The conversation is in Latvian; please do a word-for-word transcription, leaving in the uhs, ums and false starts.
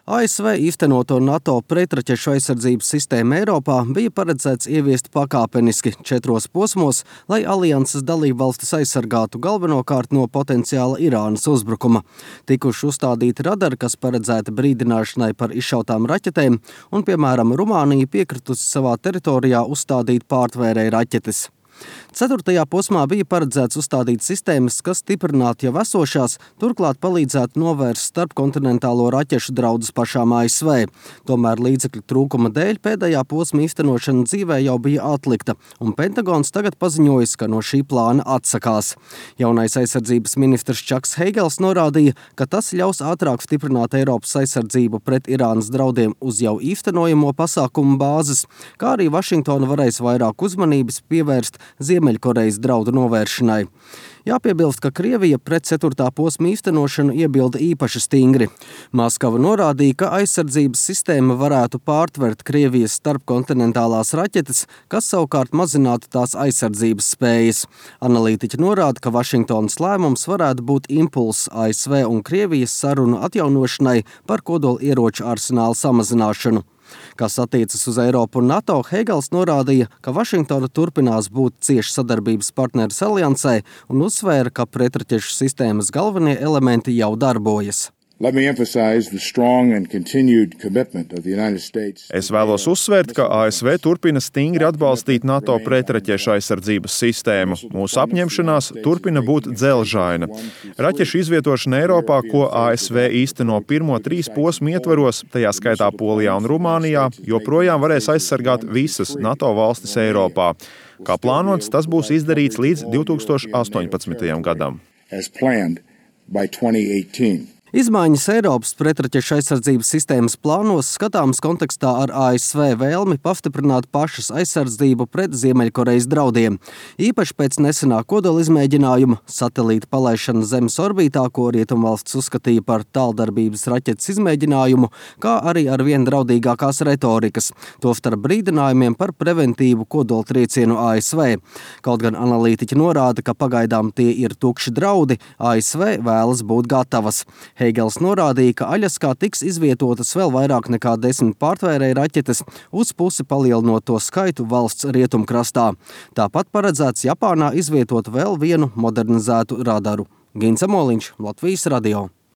A S V īstenoto NATO pretraķešu aizsardzības sistēmu Eiropā bija paredzēts ieviest pakāpeniski četros posmos, lai alianses dalībvalstis aizsargātu galvenokārt no potenciāla Irānas uzbrukuma. Tikuši uzstādīti radari, kas paredzēti brīdināšanai par izšautām raķetēm, un, piemēram, Rumānija piekritusi savā teritorijā uzstādīt pārtvērēju raķetes. Ceturtajā posmā bija paredzēts uzstādīt sistēmas, kas stiprinātu jau esošās, turklāt palīdzētu novērst starpkontinentālo raķešu draudus pašām A S V. Tomēr līdzekļu trūkuma dēļ pēdējā posma īstenošana dzīvē jau bija atlikta, un Pentagons tagad paziņojis, ka no šī plāna atsakās. Jaunais aizsardzības ministrs Čaks Heigels norādīja, ka tas ļaus ātrāk stiprināt Eiropas aizsardzību pret Irānas draudiem uz jau īstenojamo pasākumu bāzes, kā arī Vašingtona varēs vairāk uzmanības pievērst Ziemeļkorejas draudu novēršanai. Jāpiebilst, ka Krievija pret ceturtā posma īstenošanu iebilda īpaši stingri. Maskava norādīja, ka aizsardzības sistēma varētu pārtvert Krievijas starpkontinentālās raķetes, kas savukārt mazinātu tās aizsardzības spējas. Analītiķi norāda, ka Vašingtonas lēmums varētu būt impulss A S V un Krievijas sarunu atjaunošanai par kodolieroču arsenālu samazināšanu. Kas attiecas uz Eiropu un NATO, Heigels norādīja, ka Vašingtona turpinās būt cieši sadarbības partneris aliansē un uzsvēra, ka pretraķešu sistēmas galvenie elementi jau darbojas. Es vēlos uzsvērt, ka A S V turpina stingri atbalstīt NATO pretraķešu aizsardzības sistēmu. Mūsu apņemšanās turpina būt dzelžaina. Raķešu izvietošana Eiropā, ko A S V īsteno pirmo trīs posmu ietvaros, tajā skaitā Polijā un Rumānijā, joprojām varēs aizsargāt visas NATO valstis Eiropā. Kā plānots, tas būs izdarīts līdz divi tūkstoši astoņpadsmitajam gadam. Izmaiņas Eiropas pretraķešu aizsardzības sistēmas plānos skatāmas kontekstā ar A S V vēlmi pastiprināt pašas aizsardzību pret Ziemeļkorejas draudiem. Īpaši pēc nesenā kodola izmēģinājuma, satelīta palaišana Zemes orbītā, ko rietumvalsts uzskatīja par tāldarbības raķetes izmēģinājumu, kā arī ar vien draudīgākās retorikas, tostarp brīdinājumiem par preventīvu kodola triecienu A S V. Kaut gan analītiķi norāda, ka pagaidām tie ir tukši draudi, A S V vēlas būt gatavas. Heigels norādīja, ka Aļaskā tiks izvietotas vēl vairāk nekā desmit pārtvērēju raķetes, uz pusi palielinot to skaitu valsts rietumkrastā. Tāpat paredzēts Japānā izvietot vēl vienu modernizētu radaru. Gins Amoliņš, Latvijas radio.